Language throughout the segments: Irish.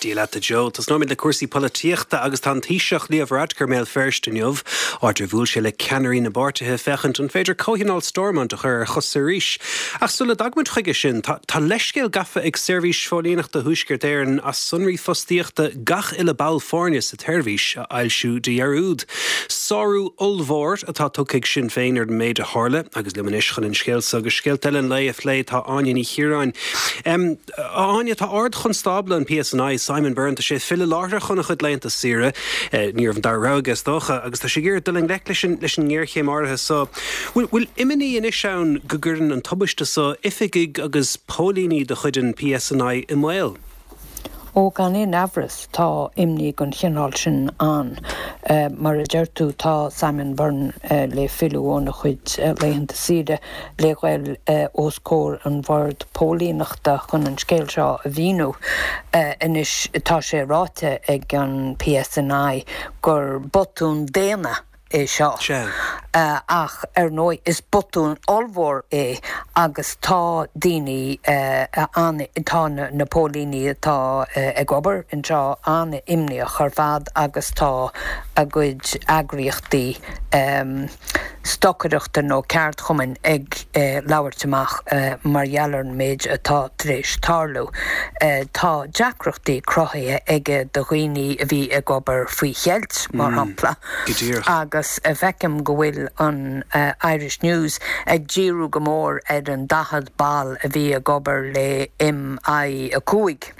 Dia leat a Joe. Tosnóimid le cúrsaí polaitíochta agus tá an Taoiseach Leo Varadkar i mBéal Feirste inniu, áit ar bhuail sé le ceannairí na bpáirtithe féachaint an féidir Comhthionól Stormont a chur ar chosa arís. Ach sula dtagaimid chuige sin, tá tá leithscéal gafa ag Seirbhís Phóilíneachta Thuaisceart Éireann as sonraí fostaíochta gach uile ball foirne sa tseirbhís a fhoilsiú de dhearúd. Sárú ollmhór atá tugtha ag Sinn Féin ar an méid a tharla agus liom anois chun an scéal so agus scéalta eile an lae a phlé tá Áine Ní Chiaráin. A Áine, tá Ard-Chonstábla an PSNI, Simon Byrne, tá sé ag filleadh láithreach óna chuid laethanta saoire, ní raibh an dara rogha aige is dócha, agus tá sé ag iarraidh dul i ngleic leis an leis an ngéarchéim áirithe so. Bhfuil bhfuil imní anois ann go gcuireann an tubaiste so oifigigh agus póilíní de chuid an PSNI i mbaol? Ó, gan aon amhras, tá imní den chineál sin ann. Mar a deir tú, tá Simon Byrne le filleadh óna chuid laethanta saoire le ghoil os comhair an Bhoird Póilíneachta chun an scéal seo a mhíniú. Anois, tá sé ráite ag an PSNI gur botún daonna é seo. Ach, ar ndóigh, is botún ollmhór é agus tá daoine an, tá na póilíní atá ag obair anseo an-imníoch ar fad agus tá a gcuid eagraíochtaí stocaireachta nó ceardchumainn ag labhairt amach mar gheall ar an méid atá tar éis tarlú. Tá deacrachtaí cruthaithe aige do dhaoine a bhí ag obair faoi cheilt, mar shampla, agus feicim go bhfuil an Irish News ag díriú go mór ar an 40 ball a bhí ag obair le MI5.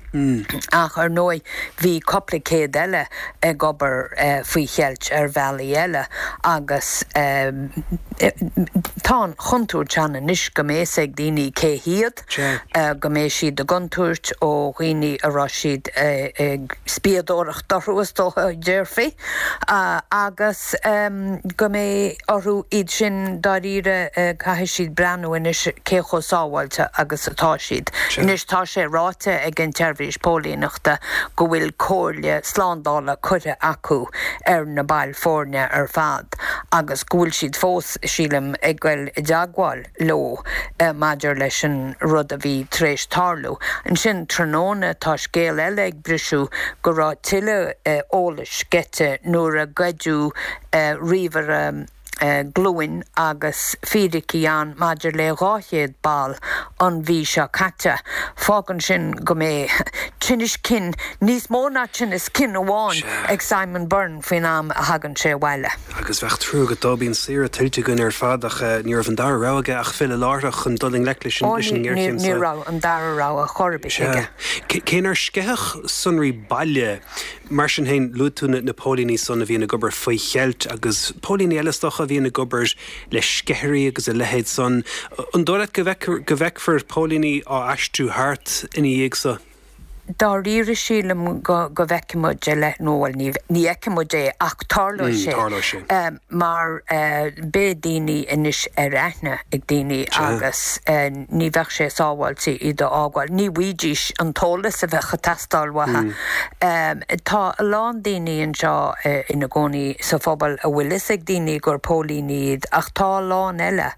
Ach ar ndóigh bhí cupla céad eile ag obair faoi cheilt ar bhealaí eile agus tá an chontúirt ann anois go mbeidh fhios ag daoine cé hiad, go mbeidh siad i gcontúirt ó dhaoine a raibh siad ag spiadóireacht orthu is dócha a déarfaí agus go mbeidh orthu iad sin dáiríre caithfidh siad breathnú anois cé chomh sábháilte agus atá siad. Anois tá sé ráite ag an tSeirbhís Póilíneachta go bhfuil comhairle slándála curtha acu ar na baill foirne ar fad agus go bhfuil siad fós, sílim, ag goil i dteagmháil leo maidir leis an rud a bhí tar éis tarlú. Ansin tráthnóna tá scéal eile ag briseadh go raibh tuilleadh eolais sceite nuair a goideadh ríomhaire, glúin agus fíricí ann maidir le 200 ball an mhí seo caite. Fágann sin go mbeidh tinneas cinn, níos mó ná tinneas cinn amháin, ag Simon Byrne faoin am a thagann sé abhaile. Agus bheadh trua agat dó, bíonn saoire tuillte againn ar fad ach ní raibh an dara rogha aige ach filleadh láithreach chun dul i ngleic leis an ngéarchéim seo. Ní raibh an dara rogha chor ar bith aige. Cé nár sceitheadh sonraí baile, Mar sin féin, luaigh tú na póilíní san a bhíonn ag obair faoi cheilt agus póilíní eile is dócha a bhíonn ag obair le sceithirí agus a leithéid san. An dóigh leat go bhfeicfear póilíní á aistriú thart ina dhiaidh so? Dáiríre sílim go bhfeicfidh muid a leith, nó bhuel ní fheicfidh muid é ach tarlóidh sé mar beidh daoine anois ar aithne ag daoine agus ní bheadh sé sábháilte iad a fhágáil. Ní bhfaighidís an t-eolas a bheadh ag teastáil uathu. Tá a lán daoine anseo ina gcónaí sa phobal a bhfuil fhios ag daoine gur póilíní iad ach tá a lán eile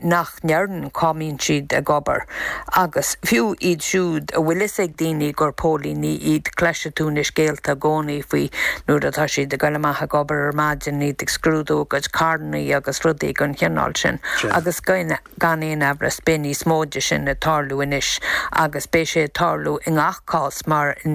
nach ndeireann cá mbíonn siad ag obair. Agus fiú iad siúd a bhfuil fhios ag daoine gur póilíní iad cloisfidh tú na scéalta i gcónaí faoi nuair atá siad ag dul amach ag obair ar maidin, iad ag scrúdú a gcuid carrannaí agus rudaí den chineál sin agus Gan aon amhras, beidh níos mó de sin ag tarlú anois agus beidh sé ag tarlú i ngach cás mar i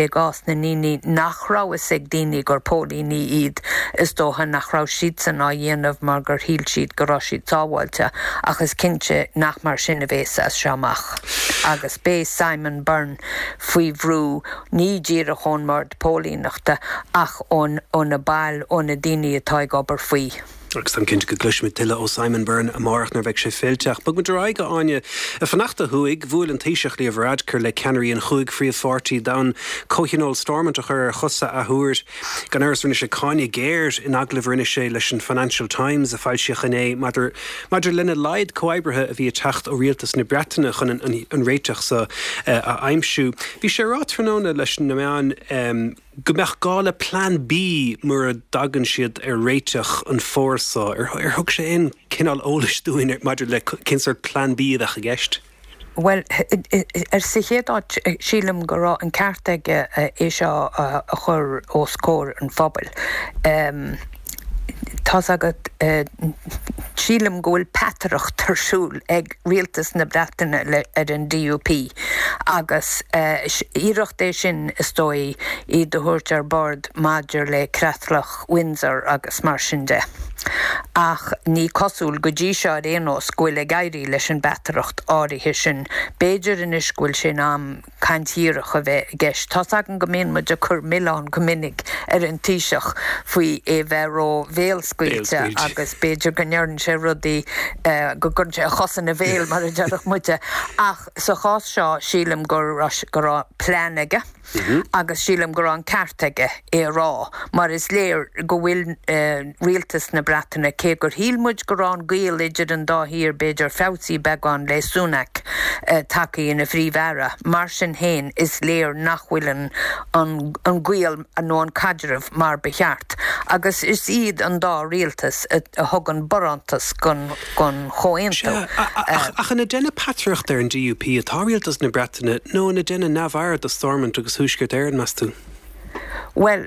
gcás na ndaoine nach raibh fhios ag daoine gur póilíní iad, is dócha nach raibh siadsan á dhéanamh mar gur shíl siad go raibh siad sábháilte ach is cinnte nach mar sin a bhéas as seo amach agus beidh Simon Byrne faoi bhrú ní díreach ón mBord Póilíneachta ach ó na baill, ó na daoine atá ag obair faoi. Agus táim cinnte go gcloisfimid tuilleadh ó Simon Byrne amárach nuair a bheidh sé fillte. Ach bogfaimid ar aghaidh, a Áine. Ag fanacht ó thuaidh, bhuail an Taoiseach Leo Varadkar le ceannairí an chúig phríomhpháirtí d'fhonn Comhthionól Stormont a chur ar chosa athuair. Gan amhras rinne sé cáineadh géar in agallamh a rinne sé leis an Financial Times a foilsíodh inné maidir maidir lena laghad comhoibrithe a bhí ag teacht ó rialtas na Breataine chun an réiteach seo a aimsiú. Bhí sé ag rá tráthnóna leis na meáin go mbeadh gá le Plean B mura dtagann siad ar réiteach an fómhar seo. Ar thug sé aon cineál eolais dúinn maidir le cén sórt Plean B a bheadh i gceist? Bhuel, sa chéad áit, sílim go raibh an ceart aige é seo a chur os comhair an phobail. Tá's agat, sílim go bhfuil peataireacht ar siúl ag rialtas na Breataine ar an DUP agus iarracht é sin, is dóigh, iad a thabhairt ar bord maidir le Creatlach Windsor agus mar sin de. Ach ní cosúil, go dtí seo ar aon nós, go bhfuil ag éirí leis an bpeataireacht áirithe sin. B'fhéidir anois go bhfuil sé in am caint dhíreach a bheith i gceist. Tá's agam go mbíonn muid ag cur milleán go minic ar an Taoiseach faoi é bheith ró-bhéalscaoilte agus b'fhéidir go ndeireann sé rudaí, go gcuireann sé a chos ina bhéal mar a déarfadh muide. Ach sa chás seo sílim go raibh plean aige. Agus sílim go raibh an ceart aige é a rá, mar is léir go bhfuil rialtas na Breataine, cé gur shíl muid go raibh an gaol idir an dá thír b'fhéidir feabhsaithe beagán le Sunak tagtha ina Phríomh-Aire, mar sin féin is léir nach bhfuil an gaol nó an caidreamh mar ba cheart. Agus is iad an dá rialtas a thugann barántas don. don chomhaontú. Sea, ach an ag déanamh peataireachta ar an DUP atá rialtas na Breataine nó an ag déanamh neamhaird de Stormont agus Thuaisceart Éireann, meas tú? Bhuel,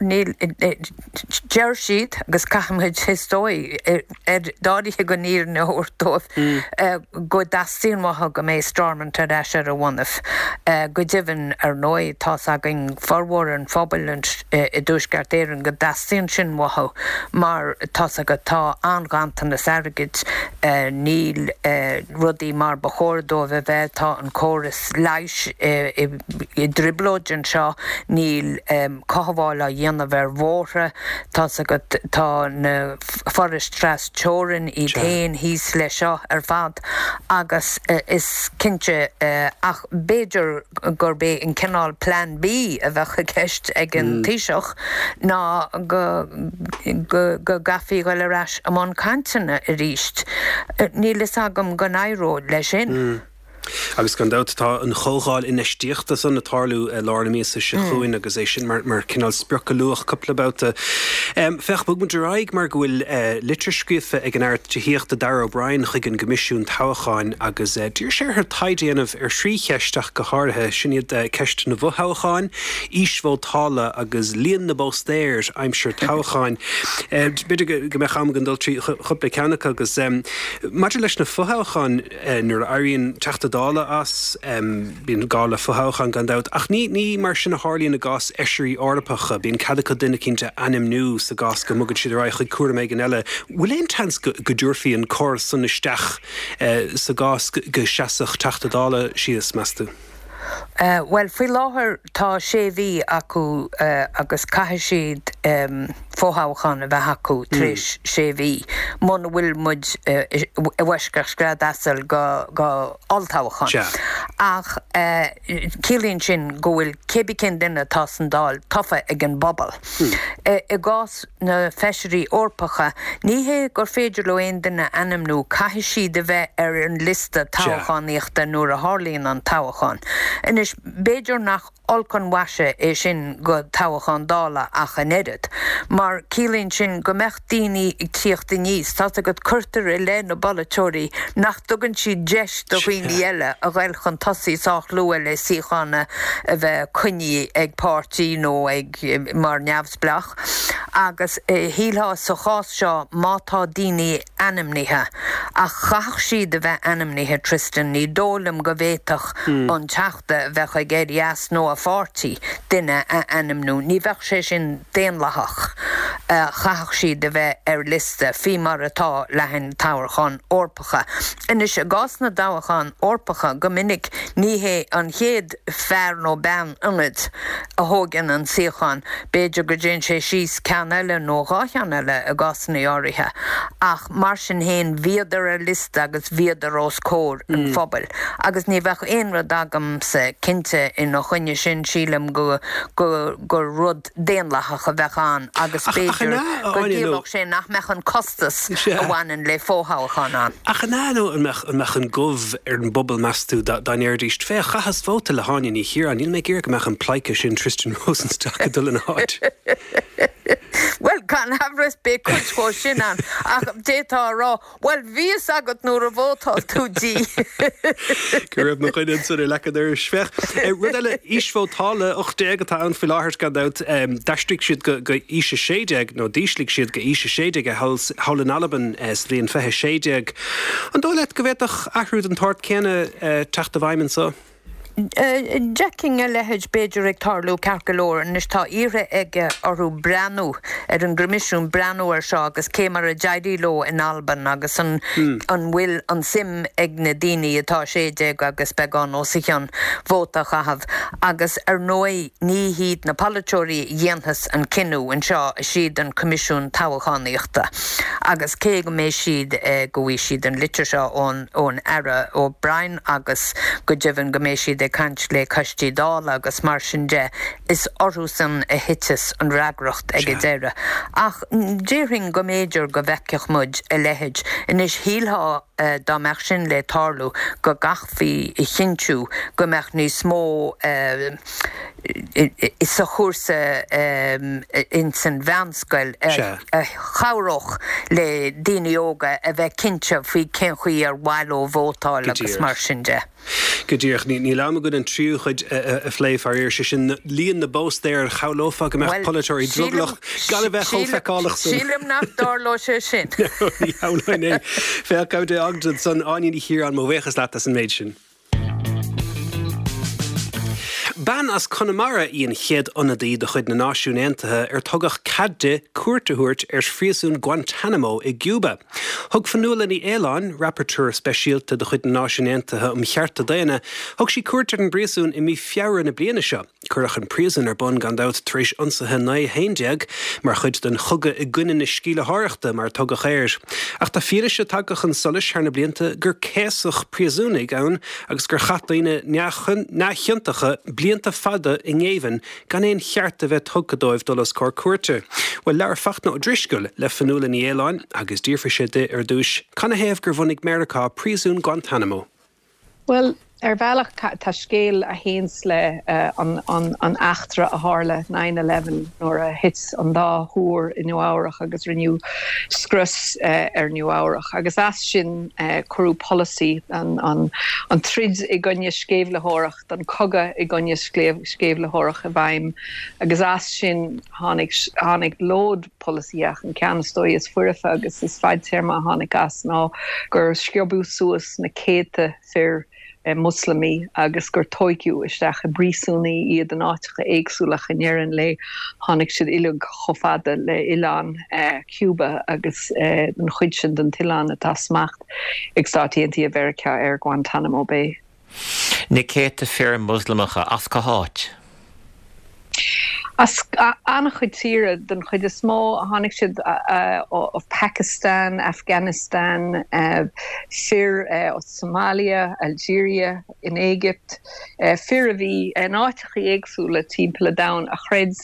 níl, deir siad, agus caithfimid, is dóigh, ar dáiríre an fhírinne a thabhairt dóibh, go dteastaíonn uathu go mbeidh Stormont ar ais ar a bhonnaibh. Go deimhin, ar ndóigh, tá's againn, formhór an phobail i dTuaisceart Éireann go dteastaíonn sin uathu mar tá's agat tá an-ghanntanas airgid, níl rudaí mar ba chóir dóibh a bheith, tá an córas leighis i dtrioblóid anseo, níl cothabháil á dhéanamh ar bhóithre, tá's agat tá na forais tras teorainn iad féin thíos leis seo ar fad agus is cinnte ach b'fhéidir gurb é an cineál Plean B a bheadh i gceist ag an Taoiseach ná go go gcaithfí dhul ar ais i mbun cainteanna arís. Níl fhios agam go n-éireoidh leis sin. Agus gan dabht tá an chomhdháil infheistíochta san ag tarlú i lár na míosa seo chugainn agus é sin mar mar cineál sprioc a luadh cúpla babhta. Féach, bog muid ar aghaidh mar go bhfuil litir scríofa ag an Aire Tithíochta Darragh O'Brien chuig an gCoimisiún Toghcháin agus d'iarr sé orthu taighde a dhéanamh ar thrí cheist ach go háirithe. Sin iad ceist na bhfothoghchán, aois vótála agus líon na bpóstaer aimsir toghcháin. B'fhéidir go mbeadh am againn dul trí chúpla ceann acu agus maidir leis na fothoghcháin, nuair a éiríonn Teachta Dála as, bíonn gá le fothoghchán gan dabht, ach ní ní mar sin a tharlaíonn i gcás Fheisirí Eorpacha, bíonn cead acu duine eicínt a ainmniú sa gcás go mbogann siad ar aghaidh chuig cúram éigin eile. Bhfuil aon tseans go go dtabharfaí an córas san isteach sa gcás go seasfadh Teachta Dála síos, meas tú? Bhuel, faoi láthair tá sé mhí acu agus caithfidh siad fothoghchán a bheith acu tar éis sé mhí, muna bhfuil muid i bhfoisceacht scread asail go olltoghchán. Ach ciallaíonn sin go bhfuil cébí cén duine atá san Dáil tofa ag an bpobal. I gcás na Feisirí Eorpacha, ní hé gur féidir leo aon duine a ainmniú, caithfidh siad a bheith ar an liosta toghchánaíochta nuair a tharlaíonn an toghchán. Anois, b'fhéidir nach olc an mhaise é sin go toghchán Dála ach an oiread, mar ciallaíonn sin go mbeadh daoine ag tíocht aníos, tá's agat, cuirtear i leith na bpolaiteoirí nach dtugann siad deis do dhaoine eile a ghoil chun tosaigh sách luath le suíochán a bheith coinnithe ag páirtí nó ag mar neamhspleách. Agus shílfeá sa chás seo má tá daoine ainmnithe, ach chaithfeadh siad a bheith ainmnithe, Tristan, ní dóigh liom go bhféadfadh an Teachta a bheadh ag éirí as nó a pháirtí duine a ainmniú. Ní bheadh sé sin daonlathach. Chaithfeadh siad a bheith ar liosta, faoi mar atá le haghaidh na toghchán Eorpacha. Anois, i gcás na dtoghchán Eorpacha, go minic ní hé an chéad fear nó bean ionaid a thóigeann an suíochán, b'fhéidir go dtéann sé síos ceann eile nó dhá cheann eile i gcásanna áirithe, ach mar sin féin bhíodar ar liosta agus bhíodar os comhair an phobail agus ní bheadh aon rud agamsa cinnte ina choinne sin, sílim go gur rud daonlathach a bheadh ann agus b'fhéidir go gciallódh sé nach mbeadh an costas a bhaineann le fothoghchán ann. Ach an ea nó an mbeadh an mbeadh an gomh ar an bpobal meas tú dá ndéarfaidís, féach, chaitheas vóta le hÁine Ní Chiaráin, níl mé ag iarraidh go mbeadh an pleidhce sin Tristan Rosenstock ag dul ina háit. Bhuel, gan amhras beidh cuid dhó sin ann, ach d'fhéadfá a rá, bhuel, bhí fhios agat nuair a vótáil tú di. Go raibh mo dhuine ansan ar leac an dorais. Féach, rud eile, aois vótála 18 atá ann faoi láthair, gan dabht. D'aistrigh siad go aois 16, nó d'ísligh siad go aois 16 é thall in Albain sa bhliain 2016. An dóigh leat go bhféadfadh athrú den tsórt céanna teacht i bhfeidhm anso? D'fheicfinn a leithéid b'fhéidir ag tarlú ceart go leor. Anois tá iarrtha aige orthu breathnú, ar an gCoimisiún breathnú air seo agus cé mar a d'éirigh leo in Albain agus an an bhfuil an suim ag na daoine atá 16 agus beagán os a chionn vóta a chaitheamh. Agus ar ndóigh ní hiad na polaiteoirí a dhéanfas an cinneadh anseo, is iad an Coimisiún Toghchánaíochta. Agus cé go mbeidh siad, go bhfaighidh siad an litir seo ón ón Aire O'Brien agus go deimhin go mbeidh siad ag caint le coistí Dála agus mar sin de, is orthusan a thiteas an fhreagracht ag an deireadh. Ach déarfainn go mb'fhéidir go bhfeicfeadh muid a leithéid. Anois shílfeá dá mbeadh sin le tarlú go gcaithfí a chinntiú go mbeadh níos mó sa chúrsa ins an mheánscoil a chabhródh le daoine óga a bheith cinnte faoi cén chaoi ar mhaith leo vótáil agus mar sin de. Go díreach. Níl am againn an tríú cuid a phlé, faraor, sé sin líon na bpóstaer shamhlófá go mbeadh polaiteoirí drogallach gan a bheith chomh feiceálach san. Sílim nach dtarlóidh sé sin. Ní shamhlóinn é. Féach, gabh dé Ogden ansan, Áine Ní Chiaráin, mo bhuíochas leat as an méid sin. Bean as Conamara í an chéad ionadaí de chuid na Náisiún Aontaithe ar tugadh cead di cuairt a thabhairt ar phríosún Guantanamo i gCúba. Thug Fionnuala Ní Aoláin, Rapporteur Speisialta de chuid na Náisiún Aontaithe um Chearta Daonna, thug sí cuairt ar an bpríosún i mí Feabhra na bliana seo. Cuireadh an príosún ar bun, gan dabht, tar éis ionsaithe 9/11, mar chuid den chogadh i gcoinne na sceimhlitheoireachta, mar a tugadh air. Ach tá fianaise tagtha chun solais thar na blianta gur céasadh príosúnaigh ann agus gur chaith daoine neamhchiontacha blianta fada i ngéibheann gan aon cheart a bheith tugtha dóibh dul os comhair cúirte. Bhuel, labhair Fachtna Ó Drisceoil le Fionnuala Ní Aoláin agus d'fhiafraigh sé di ar dtús canathaobh gur bhunaigh Meiriceá príosún Guantanamo. Bhuel, ar bhealach, tá scéal a théanns le an eachtra a tharla, nine eleven, nuair a thit an dá thúr i Nua Eabhrach agus rinneadh scrios ar Nua Eabhrach. Agus as sin cuireadh polasaí, an troid i gcoinne sceimhlitheoireacht, an cogadh i gcoinne sceimhlitheoireacht i bhfeidhm. Agus as sin tháinig, tháinig lód polasaithe ach an ceann is dóigh is foirfe agus is fadtéarma a tháinig as ná gur sciobadh suas na céadta fir Moslamaí agus gur tóigeadh isteach i bpríosúnaí iad in áiteacha éagsúla ach i ndeireadh an lae tháinig siad uilig chomh fada le oileán Cuba agus an chuid sin den t-oileán atá smacht ag Stáit Aontaithe Mheiriceá ar Guantanamo Bay. Na céadta fir Moslamacha as cá háit? As an-chuid tíre, den chuid is mó. Tháinig siad ó Pakistan, Afghanistan, fir ó Somalia, Algeria, in Éigipt, fir a bhí in áiteachaí éagsúla timpeall an domhain a chreid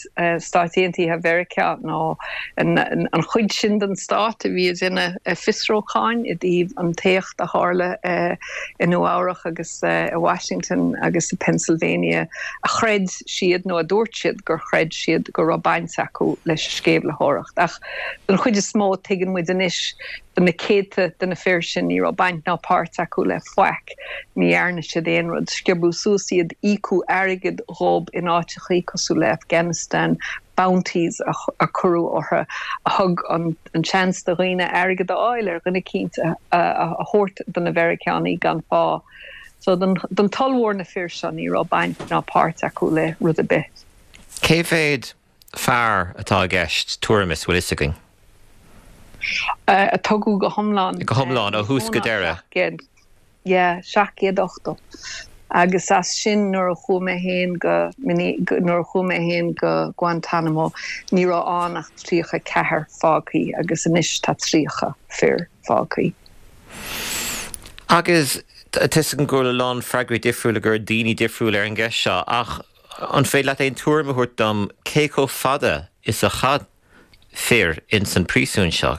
Stáit Aontaithe Mheiriceá nó an chuid sin den stát a bhí ag déanamh fiosrúcháin i dtaobh an t-éacht a tharla i Nua Eabhrach agus i Washington agus i Pennsylvania a chreid siad nó a dúirt siad gur chreid siad go raibh baint acu leis an sceimhlitheoireacht. Ach don chuid is mó tuigeann muid anois do na céadta de na fir sin ní raibh baint ná páirt acu le faic, ní dhearna siad aon rud. Sciobadh suas iad, íocadh airgead dhób in áiteachaí cosúil le Afghanistan, bounties a cuireadh orthu a thug an seans do dhaoine airgead a fháil ar dhuine eicínt a thabhairt do na Mheiriceánaigh gan phá. So don t-ollmhór na fir seo ní raibh baint ná páirt acu le rud ar bith. Cé mhéad fear atá i gceist, tuairim is, bhfuil fhios againn? A tugadh go hiomlán. Go hiomlán, ó thús go deireadh. Yeah, 780. Agus as sin nuair a chuaigh mé féin go, nuair a chuaigh mé féin go Guantanamo ní raibh ann ach 34 fágthaí agus anois tá 30 fir fágthaí. Agus tá 'fhios agam go bhfuil a lán freagraí difriúla ag daoine difriúla ar an gceist seo ach an féidir leat aon tuairim a thabhairt dom cé chomh fada is a chaith fir ins an príosún seo?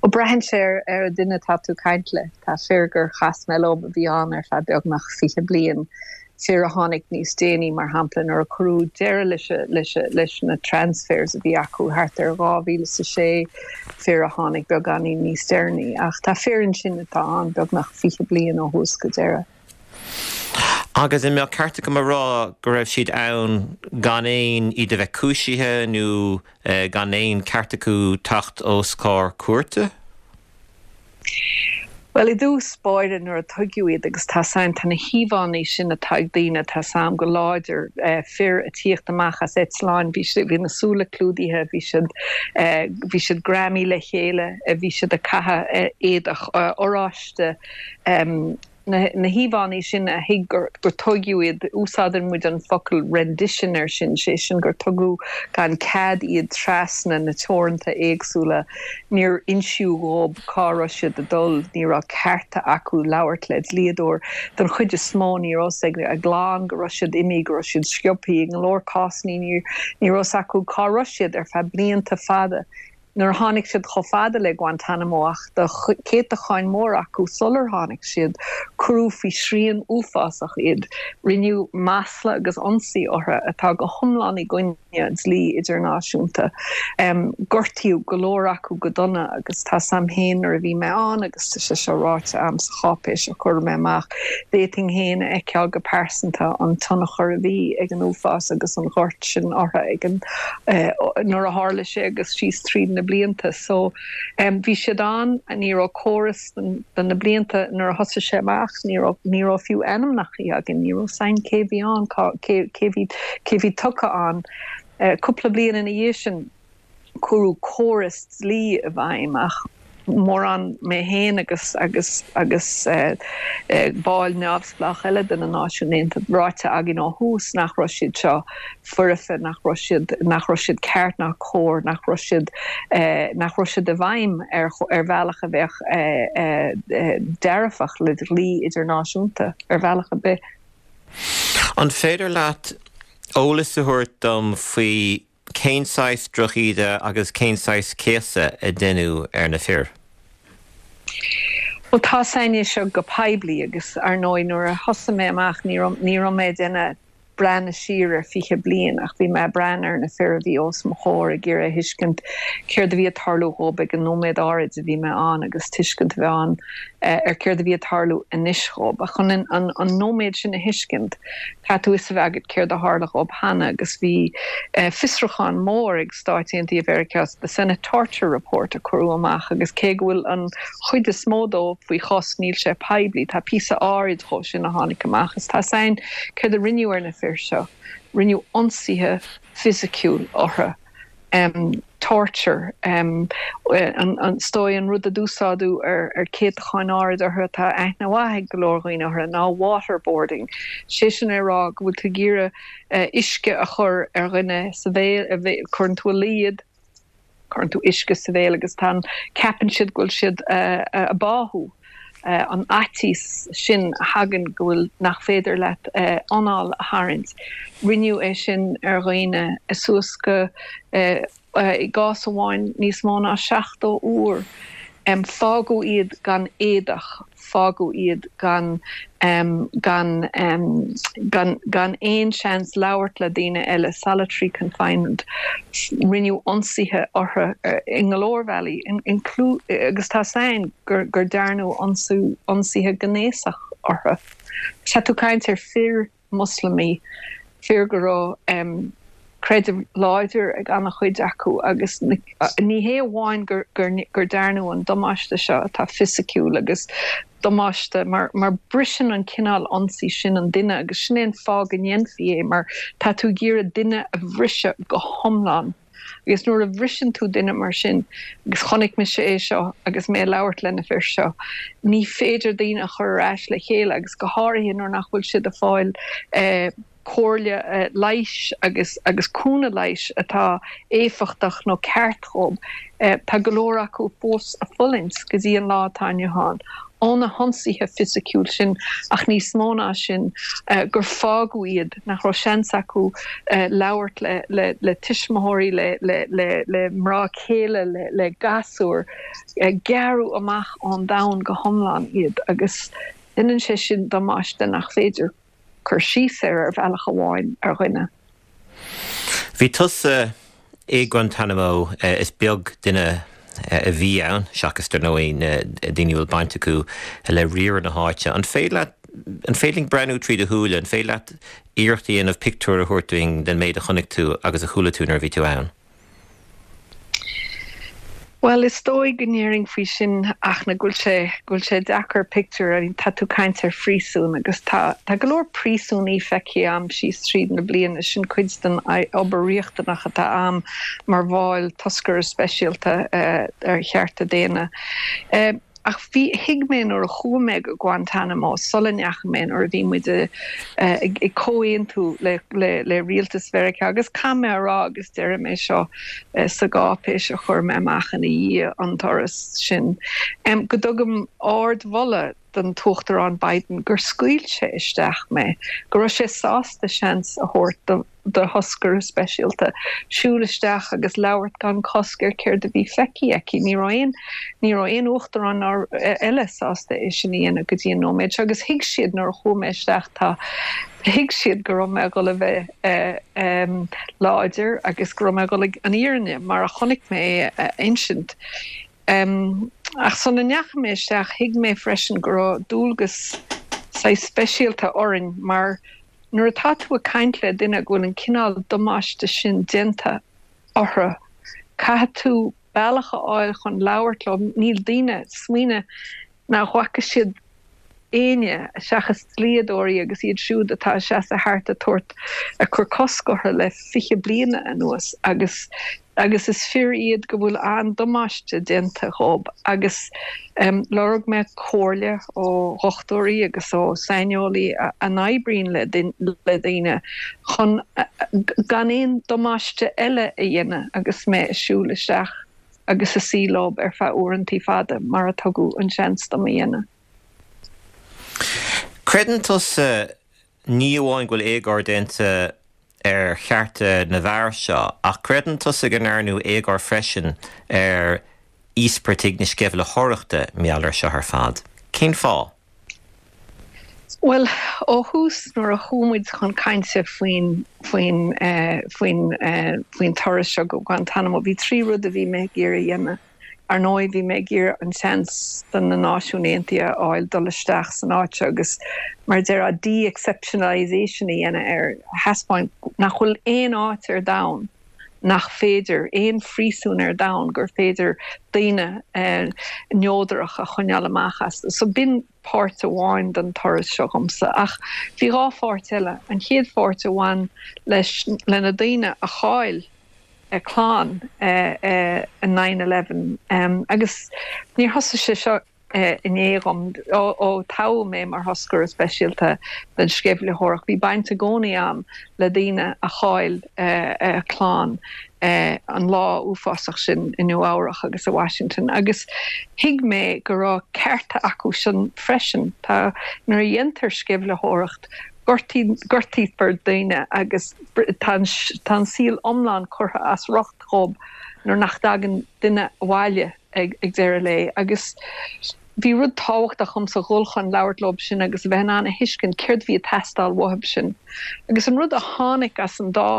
Ó, braitheann sé ar an duine atá tú ag caint le. Tá fir gur chas mé leo a bhí ann ar feadh beagnach 20 bliain, fir a tháinig níos déanaí, mar shampla nuair a cuireadh deireadh leis na transfers a bhí acu thart ar 2006, fir a tháinig beagáinín níos deireanaí. Ach tá fir ansin atá ann beagnach 20 bliain ó thús go deireadh. Agus an mbeadh ceart agam a rá go raibh siad ann gan aon, iad a bheith cúisithe nó gan aon ceart acu teacht os comhair cúirte? Bhuel, i dtús báire nuair a tuigeadh iad, agus tá 's a'm, tá na híomhánna sin atá ag daoine, tá 's a'm go láidir, fir ag tíocht amach as eitleáin, bhí siad, bhí na súile clúdaithe, bhí siad, bhí siad greamaithe le chéile, bhí siad ag caitheamh éadach oráiste, Na híomhánna sin a thuig gur tóigeadh iad, úsáideann muid an focal rendition air sin, sé sin gur tugadh gan cead iad trasna na teoranta éagsúla, níor insíodh dhób cá raibh siad ag dul, ní raibh cearta acu labhairt le dlíodóir. Don chuid is mó ní raibh 's ag a gclann go raibh siad imithe, go raibh siad sciobthaí, i go leor cásanna ní raibh 's acu cá raibh siad ar feadh blianta fada. Nuair a tháinig siad chomh fada le Guantanamo ach do céatacháin mór acu sular tháinig siad, cuireadh faoi shrian uafásach iad. Rinneadh masla agus ionsaí orthu atá go hiomlán i gcoinne dlí idirnáisiúnta. Gortaíodh go leor acu go dona agus tá 's a'm féin nuair a bhí mé ann agus tá sé seo ráite a'm sa cháipéis a chuir mé amach, d'fhéadfainn féin a fheiceáil go pearsanta an tionchar a bhí ag an uafás agus an ghort sin orthu ag an nuair a tharla sé agus síos tríd na blianta. So bhí siad ann, ní raibh córas do na blianta nuair a thosaigh sé amach, ní raibh, ní raibh fiú ainmneacha againn, ní raibh 's a'inn cé bhí ann, cá, cé, cé bhí, cé bhí tugtha ann. Cúpla bliain ina dhiaidh sin, cuireadh córas dlí i bhfeidhm ach mórán, mé féin agus agus agus baill neamhspleách eile de na Náisiúin Aontaithe, ráite againn ó thús nach raibh siad seo foirfe, nach raibh siad, nach raibh siad ceart ná cóir, nach raibh siad, nach raibh siad i bhfeidhm ar ar bhealach a bheadh dearfach le dlí idirnáisiúnta ar bhealach ar bith. An féidir leat eolas a thabhairt dom faoi Cén saghas drochíde agus cén saghas céasadh a deineadh ar na fir? Bhuel, tá 's a'inn é seo go poiblí agus, ar ndóigh, nuair a thosaigh mé amach ní raibh, ní raibh mé ag déanamh breathnú siar ar 20 bliain ach bhí mé ag breathnú ar na fir a bhí os mo chomhair ag iarraidh a thuiscint céard a bhí ag tarlú dhób ag an nóiméad áirid a bhí mé ann agus tuiscint a bheith ann ar céard a bhí ag tarlú anois dhób. Ach chun an, an nóiméad sin a thuiscint, Caithfidh tú fhios a bheith agat céard a tharla dhób cheana agus bhí fiosrúchán mór ag Stáit Aontaithe Mheiriceá, the Senate Torture Report a cuireadh amach agus cé go bhfuil an chuid is mó dó faoi chos níl sé poiblí, tá píosa áirid dhó sin a tháinig amach is tá 's a'inn céard a rinneadh ar na fir seo, rinneadh ionsaithe fisiciúil orthu. torture, is dóigh an rud a d'úsáideadh ar céatacháin áirid orthu atá aithne mhaith ag go leor dhaoine orthu ná waterboarding, sé sin é rá go bhfuil tú ag iarraidh uisce a chur ar dhuine sa bhéal, cuireann tú a luí iad, cuireann tú uisce sa bhéal agus tá an, ceapann siad go bhfuil siad ag báthú. an fhaitíos sin a thagann go bhfuil, nach féidir leat anáil a tharraingt. Rinneadh é sin ar dhaoine suas go, i gcás amháin, níos mó ná 70 uair. Fágadh iad gan éadach, fágadh iad gan, gan, gan, gan aon seans labhairt le daoine eile, solitary confinement. Rinneadh ionsaithe orthu i go leor bealaí, agus tá 's a'inn gur dearnadh ionsaithe gnéasach orthu. Tá tú ag caint ar fir Moslamaí, fir go raibh creideamh láidir ag an-chuid acu agus ní hé amháin gur dearnadh an damáiste seo atá fisiciúil agus damáiste mar briseann an cineál ionsaí sin an duine agus sin é an fáth go ndéanfaí é mar tá tú ag iarraidh duine a bhriseadh go hiomlán. Agus nuair a bhriseann tú duine mar sin, agus chonaic mise é seo agus mé ag labhairt le na fir seo, ní féidir daoine a chur ar ais le chéile agus go háirithe nuair nach bhfuil siad ag fáil comhairle leighis agus agus cúnamh leighis atá éifeachtach nó ceart dhób. Tá go leor acu fós ag fulaingt go dtí an lá atá inniu ann. Ó na hionsaithe fisiciúil sin, ach níos mó ná sin, gur fágadh iad, nach raibh seans acu labhairt le tuismitheoirí, le mná céile, le gasúir. Gearradh amach ón domhan go hiomlán iad agus déanann sé sin damáiste nach féidir cur síos air ar bhealach amháin ar dhuine. Bhí tusa i Guantanamo, is beag duine a bhí ann, seachas dar ndóigh na daoine a bhfuil baint acu le riaradh na háite. An féidir leat, an féidir linn breathnú trí do shúile, an féidir leat iarracht a dhéanamh pictiúr a thabhairt dúinn den méid a chonaic tú agus a chuala tú nuair a bhí tú ann? Bhuel, is dóigh go ndéarfainn faoi sin ach na go bhfuil sé, go bhfuil sé deacair pictiúr, I mean tá tú ag caint ar phríosún agus tá, tá go leor príosúnaí feicthe a'm síos tríd na bliana, sin cuid den obair riachtanach atá a'm mar bhall toscaire speisialta ar chearta daonna. Ach bhí, thuig mé nuair a chuaigh mé go Guantanamo, sula ndeachaigh mé, nuair a bhí muid ag comhaontú le le rialtas Mheiriceá, agus caithfidh mé a rá, agus déarfaidh mé seo sa gcáipéis a chuir mé amach ina dhiaidh an turas sin, go dtugaim ardmholadh don tUachtarán Biden gur scaoil sé isteach mé, go raibh sé sásta seans a thabhairt do. do thoscaire speisialta siúl isteach agus labhairt gan cosc ar céard a bhí feicthe aici. Ní raibh aon, ní raibh aon uachtarán ná eile sásta é sin a dhéanamh go dtí an nóiméad seo agus thuig siad nuair a chuaigh mé isteach, tá, thuig siad go raibh mé ag dul a bheith láidir agus go raibh mé ag dul an fhírinne mar a chonaic mé é a insint. Ach sula ndeachaigh mé isteach thuig mé freisin go raibh dualgas saghas speisialta orainn mar Nuair atá tú ag caint le duine go bhfuil an cineál damáiste sin déanta orthu, caithfidh tú bealach a fháil chun labhairt leo. Níl daoine, smaoinigh nach bhfaca siad éinne seachas dlíodóirí agus iad siúd atá ag seasamh thart ag tabhairt, ag cur cosc orthu le 20 bliana anuas agus agus is fir iad go bhfuil an-damáiste déanta dhób agus lorg mé comhairle ó dhochtúirí agus ó saineolaí a n-oibríonn le daoine chun gan aon damáiste eile a dhéanamh agus mé ag siúl isteach agus ag suí leob ar feadh uaireantaí fada mar a tugadh an seans dom a dhéanamh. Creideann tusa Ní amháin go bhfuil éagóir déanta ar chearta na bhfear seo, ach creideann tusa go ndearnadh éagóir freisin ar íospartaigh na sceimhlitheoireachta mar gheall air seo ar fad. Cén fáth? Bhuel, ó thús nuair a chuaigh muid chun cainte faoin, faoin, faoin, faoin turas seo go Guantanamo, bhí 3 rud a bhí mé ag iarraidh a dhéanamh. Ar ndóigh, bhí mé ag iarraidh an seans do na Náisiúin Aontaithe a fháil dul isteach san áit seo agus, mar a déarfá, de-exceptionalisation a dhéanamh air, a thaispeáint nach bhfuil aon áit ar domhan nach féidir, aon phríosún ar domhan gur féidir daoine neodrach a choinneáil amach astu. So b'in páirt amháin den turas seo dhomsa. Ach bhí dhá pháirt eile. An chéad pháirt a bhain leis, le na daoine a chaill a clann i nine 11 agus níor thosaigh sé seo inné dhom. Ó toghadh mé mar thoscaire speisialta don sceimhlitheoireacht bhí baint i gcónaí a'm le daoine a chaill a clann an lá uafásach sin i Nua Eabhrach agus i Washington agus thuig mé go raibh cearta acu sin freisin. Tá, nuair a dhéantar sceimhlitheoireacht Gortaítear daoine agus tá an saol iomlán curtha as riocht dhób nuair nach dtagann duine abhaile ag deireadh lae. Agus bhí rud tábhachtach dhomsa dhul chun labhairt leob sin agus a bheith in ann a thuiscint céard a bhí ag teastáil uathub sin. Agus an rud a tháinig as an dá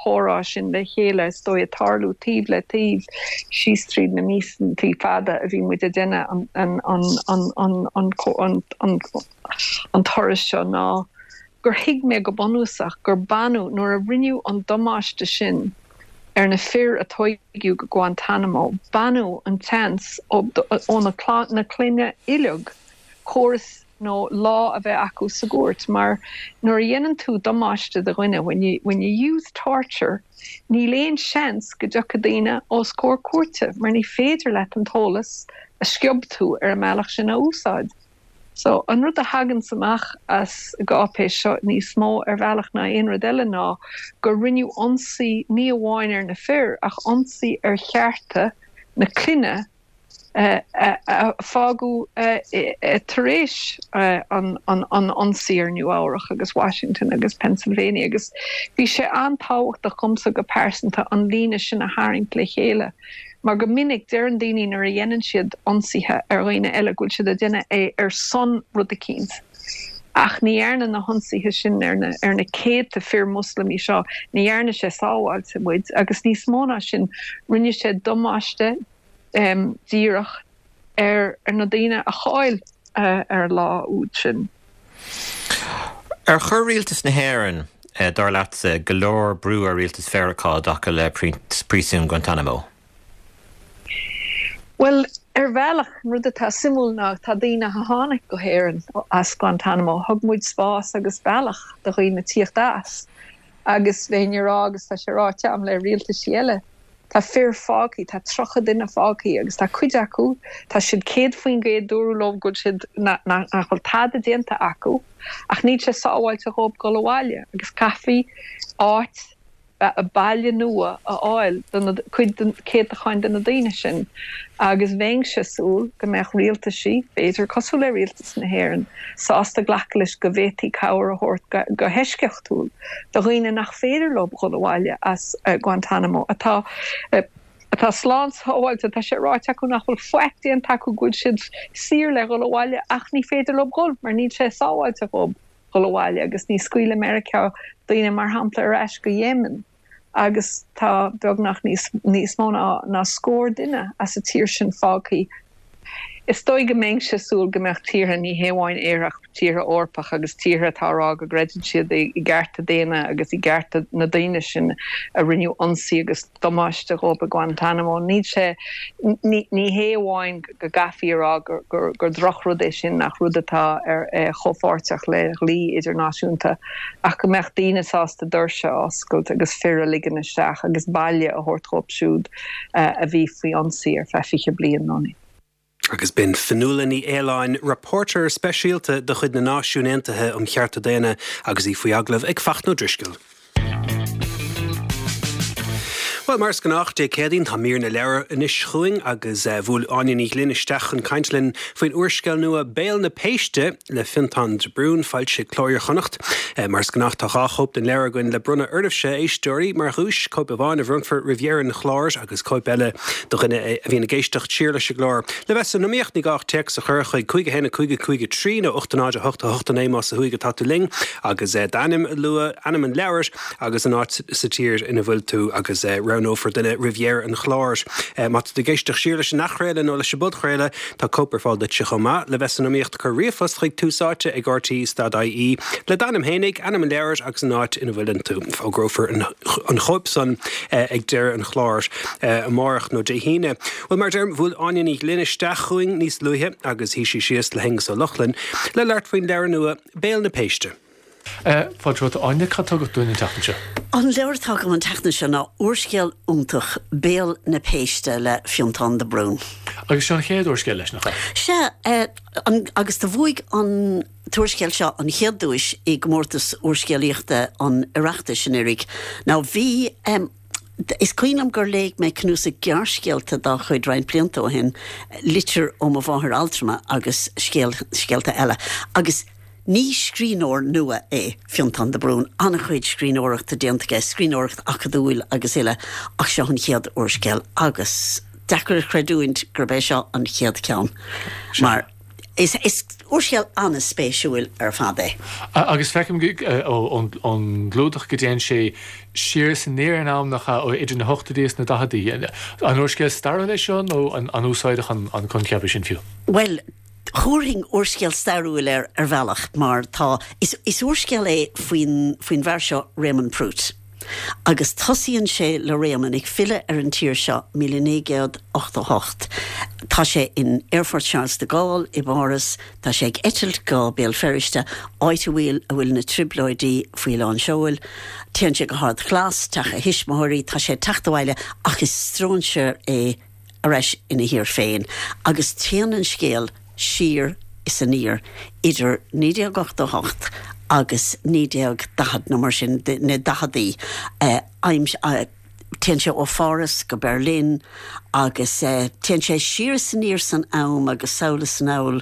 chomhrá sin le chéile, is dóigh, ag tarlú taobh le taobh síos tríd na míosantaí fada a bhí muid ag déanamh an an turas seo ná gur thuig mé go bunúsach gur baineadh, nuair a rinneadh an damáiste sin ar na fir a tóigeadh go Guantanamo, baineadh an tseans ó na clainne uileag córas nó lá a bheith acu sa gcúirt mar nuair a dhéanann tú damáiste do dhuine, when you, when you use torture, níl aon seans go dtiocfaidh daoine os comhair cúirte mar ní féidir leat an t-eolas a sciob tú ar an mbealach sin a úsáid. So, an rud a thaganns amach as an gcáipéis seo níos mó ar bhealach ná aon rud eile ná gur rinneadh ionsaí ní amháin ar na fir ach ionsaí ar chearta na clainne. A fágadh tar éis an ionsaí ar Nua Eabhrach agus Washington agus Pennsylvania agus bhí sé an-tábhachtach dhomsa go pearsanta an líne sin a tharraingt le chéile mar go minic deireann daoine nuair a dhéanann siad ionsaithe ar dhaoine eile go bhfuil siad ag déanamh é ar son rud eicínt ach ní dhearna na hionsaithe sin ar na ar na céadta fir Moslamaí seo, ní dhearna sé sábháilte muid agus níos mó ná sin rinne sé damáiste díreach ar na daoine a chaill ar an lá úd sin. Ar chuir rialtas na hÉireann, dar leatsa, go leor brú ar rialtas Mheiriceá i dtaca le príosún Guantanamo? Bhuel, ar bhealach, an rud atá suimiúil ná tá daoine a tháinig go hÉirinn as Guantanamo, thug muid spás agus bealach do dhaoine tíocht as agus bheinn ag rá, agus tá sé ráite agam le rialtaisí eile, Tá fir fágthaí, tá 30 duine fágthaí agus tá cuid acu, tá siad 100% dúradh leo go bhfuil siad, nach bhfuil tada déanta acu ach níl sé sábháilte dhóibh dul abhaile agus caithfí áit, baile nua a fháil do na, cuid de, céatacháin de na daoine sin agus bheinnse ag súil go mbeadh rialtaisí, b'fhéidir cosúil le rialtas na hÉireann, sásta glacadh leis go bhféadfaí cabhair a thabhairt go heisceachtúil do dhaoine nach féidir leo dhul abhaile as Guantanamo, atá atá slán sábháilte. Tá sé ráite acu nach bhfuil faic déanta acu, go bhfuil siad saor le dhul abhaile ach ní féidir leo dhul mar níl sé sábháilte dhóibh dhul abhaile agus ní scaoileann Meiriceá daoine mar shampla ar ais go Yemen. agus tá beagnach níos níos mó ná ná scór duine as an tír sin fágthaí. Is dóigh go mbeinnse ag súil go mbeadh tíortha, ní hé amháin Éire ach tíortha Eorpach agus tíortha atá ag rá go gcreideann siad i gcearta daonna agus i gcearta na daoine sin a rinneadh ionsaí agus damáiste dhóibh i Guantanamo, níl sé, ní ní hé amháin go gcaithfí a rá gur gur drochrud é sin, nach rud atá ar chomhpháirteach le dhlí idirnáisiúnta. ach go mbeadh daoine sásta doirse a oscailt agus fir a ligean isteach agus baile a thabhairt dhóibh siúd a bhí faoi ionsaí ar feadh 20 bliain nó níos. Agus b'in Fionnuala Ní Aoláin, rapóirtéir speisialta de chuid na Náisiún Aontaithe um Chearta Daonna agus í faoi agallamh ag Fachtna Ó Drisceoil. Bhuel, mar is gnách, Dé Céadaoin, tá mír na leabhar anois chugainn agus bhuail Áine Ní Ghlinn isteach chun caint linn faoin úrscéal nua Béal na Péiste le Fionntán de Brún, foilsithe ag Cló Iar-Chonnacht. Mar is gnách, tá 2 chóip den leabhar againn le bronnadh oraibhse, a éisteoirí, mar dhuais, cóip amháin a bhronnfar roimh dheireadh an chláir agus cóip eile do dhuine a bhíonn ag éisteacht siar leis an gclár. Le bheith san iomaíocht, ní gá ach téacs a chur chuig 5 1 5 5 3 nó 8 0 8 8 9 más ó thuaidh atá tú linn. Agus d'ainm a lua, ainm an leabhair agus an áit sa tír ina bhfuil tú agus roghnófar duine roimh dheireadh an chláir. Má tá tú ag éisteacht siar leis an athchraoladh nó leis an bpodchraoladh, tá cóip ar fáil duitse chomh maith. Le bheith san iomaíocht, cuir ríomhphost chuig Tús Áite ag rte stad ie le d'ainm fhéinig, ainm an leabhair agus an áit ina bhfuileann tú. Fógrófar an chóip san ag deireadh an chláir amárach nó Dé hAoine. Bhuel, mar a deirim, bhuail Áine Ní Ghlinn isteach chugainn níos luaithe agus shuigh sí síos le hAonghus Ó Lochlainn le labhairt faoin leabhar nua, Béal na Péiste. Fáilte romhat, Áine. Cad tá agat dúinn an tseachtain seo? An leabhar atá agam an tseachtain seo ná úrscéal iontach, Béal na Péiste le Fionntán de Brún. Agus seo an chéad úrscéal leis, nach ea? Sea, agus do bhuaigh an t-úrscéal seo an chéad duais i gcomórtas úrscéalaíochta an Oireachtais anuraidh. Now bhí. Is cuimhin liom gur léigh mé cnuasach gearrscéalta dá chuid roinnt blianta ó shin, Litir ó mo Mháthair Altrama agus Scéalta Eile, agus ní scríbhneoir nua é Fionntán de Brún, an-chuid scríbhneoireachta déanta aige, scríbhneoireacht acadúil agus uile, ach seo an chéad úrscéal agus deacair a chreidiúint gurb é seo an chéad cheann mar. Is úrscéal an-spéisiúil ar fad é. Agus feicim ón gclúdach go dtéann sé siar is aniar in am, nach ea, idir na hochtóidí is na daicheadaí. An úrscéal stairiúil é seo nó an úsáideach an coincheap é sin fiú? Bhuel, thabharfainn úrscéal stairiúil air ar bhealach mar tá, is úrscéal é faoin bhfear seo Raymond Prút. Agus tosaíonn sé le Réamonn ag filleadh ar an tír seo 1988. Tá sé in Aerfort Charles de Gaulle i bPáras, tá sé ag eitilt go Béal Feirste, áit a bhfuil a bhfuil na trioblóidí faoi lán seoil. Téann sé go hArd Ghlas, teach a thuismitheoirí, tá sé ag teacht abhaile ach is stróinséir é ar ais ina thír féin agus téann an scéal siar is aniar idir 1988 agus 1940 nó mar sin, na daicheadaí. Téann sé ó Pháras go Berlin agus téann sé siar is aniar san am agus sall is anall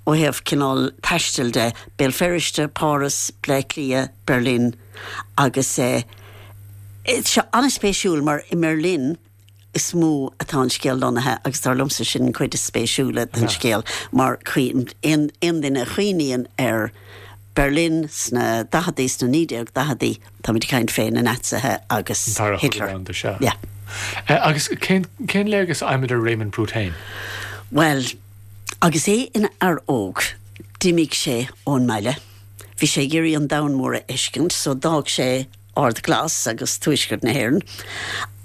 ó thaobh cineál taistil de, Béal Feirste, Páras, Bleá Cliath, Berlin agus tá sé an-spéisiúil mar i mBerlin is mó atá an scéal lonnaithe agus dar liomsa sin an chuid is spéisiúla den scéal mar aon duine a chuimhníonn ar Berlin sna daicheadaí, sna 1940idí, táimid ag caint fé na Naitsithe agus An Dara Cogadh Hitler. Domhanda, sea. Yeah. Agus cén cén léargas a fhaighimid ar Raymond Prút féin? Bhuel, agus é ina fhear óg, d'imigh sé ón mbaile. Bhí sé ag iarraidh an domhan mór a fheiscint, so d'fhág sé Ard Glas agus tuaisceart na hÉireann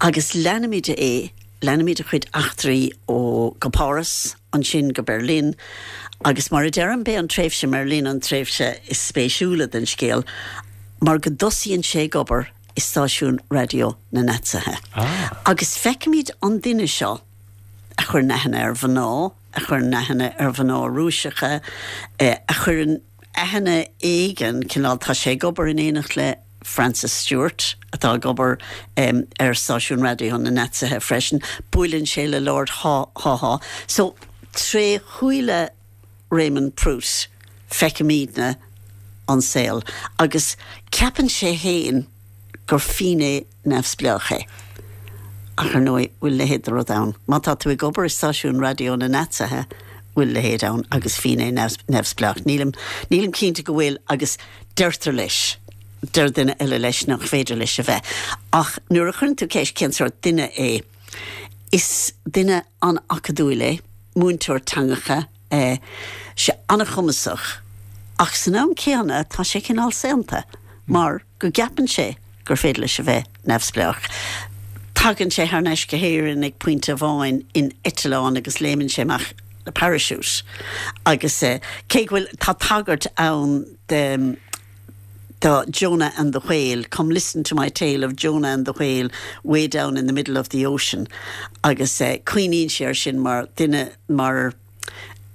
agus leanaimid é, leanaimid a chuid eachtraí ó go Páras, ansin go Berlin agus mar a deirim, b'é an tréimhse i mBerlin an tréimhse is spéisiúla den scéal mar go dtosaíonn sé ag obair i stáisiún raidió na Naitsithe. Agus feicimid an duine seo a chuireann aithne ar mhná, a chuireann aithne ar mhná Rúiseacha, a chuireann aithne éigin, cineál, tá sé ag obair in éineacht le Francis Stuart, atá ag obair ar stáisiún raidió na Naitsithe freisin, buaileann sé le Lord Haw Haw. So, tré shúile Raymond Prút, feicimidne an saol agus ceapann sé fhéin gur finné neamhspleách é. Ach ar ndóigh, bhfuil a leithéid de rud ann? Má tá tú ag obair i stáisiún raidió na Naitsithe, bhfuil a leithéid ann agus finné neamhspleách? Nílim, nílim cinnte go bhfuil agus deirtear leis, deir duine eile leis nach féidir leis a bheith. Ach nuair a chuireann tú ceist cén sórt duine é, is duine an-acadúil é, múinteoir teangacha, é sé an-chumasach ach san am céanna tá sé cineál saonta mar go gceapann sé gur féidir leis a bheith neamhspleách. Tagann sé thar n-ais go hÉirinn ag pointe amháin in eitleán agus léimeann sé amach le parachute agus cé go bhfuil, tá tagairt ann de do Jonah and the Whale, come listen to my tale of Jonah and the Whale way down in the middle of the ocean agus cuimhníonn sé air sin mar duine, mar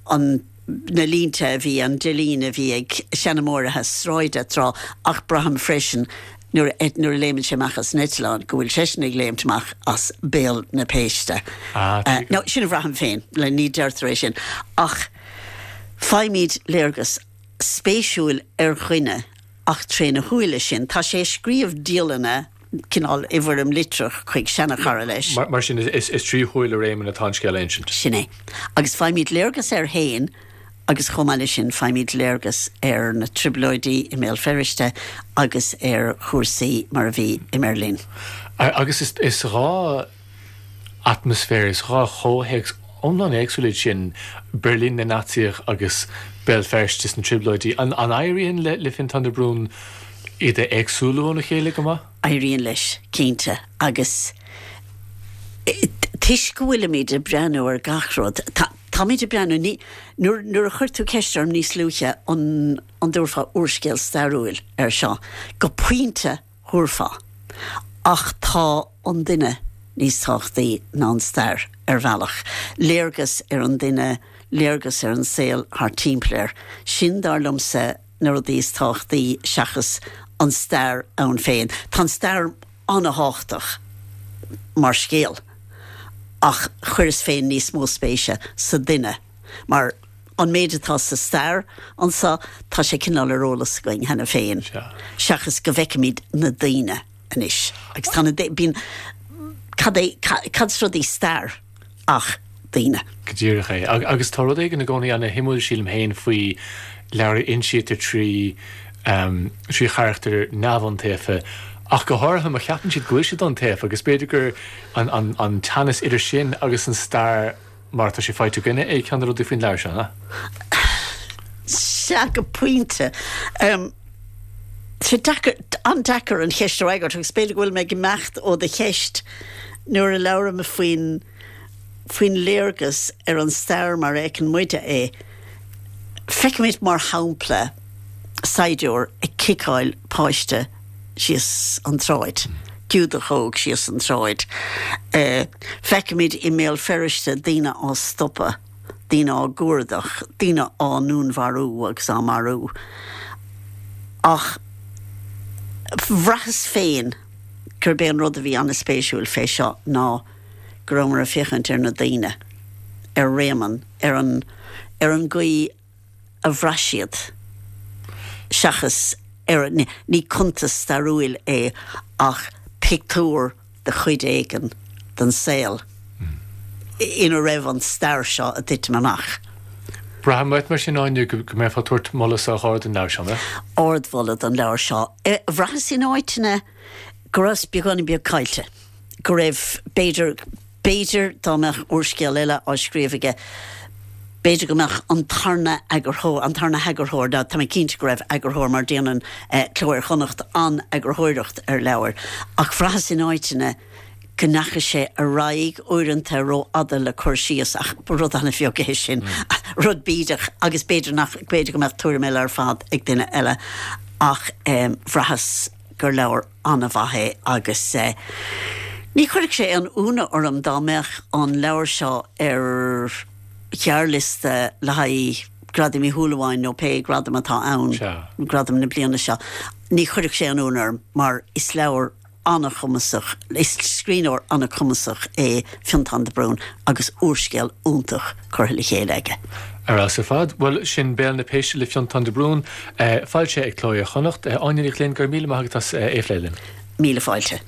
an, na línte a bhí, an deilín a bhí ag seanmóirithe sráide tráth ach braithim freisin nuair a, nuair a léimeann sé amach as an eitleán go bhfuil seisean ag léimt amach as béal na péiste. Ah, tuigim. Nó sin a bhraithim féin, le ní deirtear é sin ach faighimid léargas spéisiúil ar dhuine ach tréna shúile sin. Tá sé ag scríobh dialanna, cineál i bhfoirm litreach chuig seanachara leis. Mar sin, is trí shúile Réamonn atá an scéal á insint. Sin é. Agus faighimid léargas air féin agus chomh maith leis sin faighimid léargas ar na trioblóidí i mBéal Feirste agus ar chúrsaí mar a bhí i mBeirlín. Agus is 2 atmaisféar, is 2 chomhthéacs iomlán éagsúil iad sin, Beirlín na Naitsíoch agus Béal Feirste sna Trioblóidí. An éiríonn le Fionntán de Brún iad a éagsúlú óna chéile go maith? Éiríonn leis, cinnte, agus toisc go bhfuilimid ag breathnú ar gach rud, táimid ag breathnú, ní, nuair, nuair a chuir tú ceist orm níos luaithe an, an dtabharfá úrscéal stairiúil air seo, go pointe, thabharfá. Ach tá an duine níos tábhachtaí ná an stair, ar bhealach. Léargas ar an duine, léargas ar an saol thart timpeall air. Sin, dar liomsa, na rudaí is tábhachtaí seachas an stair ann féin. Tá an stair an-thábhachtach mar scéal, ach chuireas féin níos mó spéise sa duine mar an méid atá sa stair anso, tá sé cineál ar eolas againn cheana féin, seachas go bhfeicimid na daoine anois. Agus tá na, bíonn, cad é, cad is rud í stair ach daoine. Go díreach é. Agus tá rud éigin i gcónaí ana-shuimiúil, sílim féin, faoi leabhar a insítear trí, trí charachtair neamhiontaofa, ach go háirithe má cheapann siad go bhfuil siad iontaofa, agus b'fhéidir gur an, an, an teannas idir sin agus an stair, Mar atá sé faighte againne é ceann de na rudaí faoin leabhar seo, an ea? Sea, go pointe. Tá sé deacair, an-deacair an cheist a fhreagairt agus b'fhéidir go bhfuil mé ag imeacht ó do cheist nuair a labhraim faoin, faoin léargas ar an stair mar a fheiceann muide é. Feicimid, mar shampla, saighdiúir ag ciceáil páiste síos an tsráid, Giúdach óg síos an tsráid. Feicimid i mBéal Feirste daoine á stopadh, daoine á gcuardach, daoine á ndúnmharú agus á marú. Ach bhraitheas féin. gurb é an rud a bhí an-spéisiúil fé seo ná go rabhamar ag féachaint ar na daoine, ar Réamonn, ar an, ar an gcaoi a bhraith siad, seachas ar an, ní cuntas stairiúil é ach pictiúr de chuid éigin den saol ina raibh an stair seo ag titim amach. Braithim uait mar sin, Áine, go mbeifeá ag tabhairt moladh sách ard don leabhar seo, an mbeadh? Ardmholadh don leabhar seo. Bhraitheas in áiteanna go rabhas beagáinín beag caillte, go raibh, b'fhéidir, b'fhéidir dá mbeadh úrscéal eile á scríobh aige, b'fhéidir go mbeadh an tarna eagarthóir, an tarna heagarthóir, ná tá mé cinnte go raibh eagarthóir mar déanann Cló Iar-Chonnacht an-eagarthóireacht ar leabhair, ach bhraitheas in áiteanna go ndeachaigh sé ar aghaidh uaireanta rófhada le cur síos, ach ba rud an-bheag é sin, rud bídeach agus b'fhéidir nach, b'fhéidir go mbeadh tuairim eile ar fad ag duine eile ach bhraitheas gur leabhar an-mhaith é agus ní chuirfeadh sé aon ionadh orm dá mbeadh an leabhar seo ar ghearrliosta le haghaidh Gradaim Uí Shúilleabháin nó pé gradam atá ann, gradam na bliana seo. Ní chuirfeadh sé aon ionadh orm mar is leabhar an-chumasach, is scríbhneoir an-chumasach é Fionntán de Brún agus úrscéal iontach curtha le chéile aige. Ar fheabhas ar fad. Bhuel, sin Béal na Péiste le Fionntán de Brún, foilsithe ag Cló Iar-Chonnacht. Áine Ní Ghlinn, go raibh míle maith agat as é a phlé linn. Míle fáilte.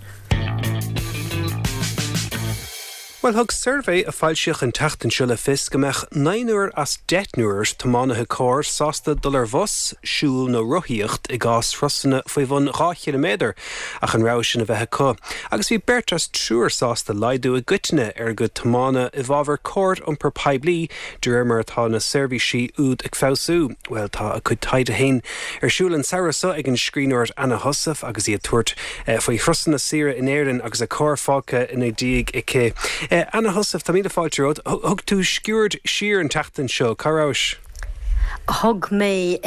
Bhuel, thug suirbhé a foilsíodh an tseachtain seo le fios go mbeadh naonúr as deichniúr tiománaithe cairr sásta dul ar bhus, siúl nó rothaíocht i gcás thurasanna faoi bhun 2 chiliméadar ach an rogha sin a bheith acu. Agus bhí beirt as triúr sásta laghdú i gcoitinne ar a gcuid tiomána i bhfabhar cóir iompar poiblí de réir mar atá na seirbhísí úd ag feabhsú. Bhuel, tá a cuid taighde féin ar siúl an samhradh seo ag an scríbhneoir Anna Heussaff agus í ag tabhairt faoi thurasanna saoire in Éirinn agus a carr fágtha ina diaidh aici. Anna Heussaff, tá míle fáilte romhat. Thug tú sciuird siar an tseachtain seo. Cá rabhais? Thug mé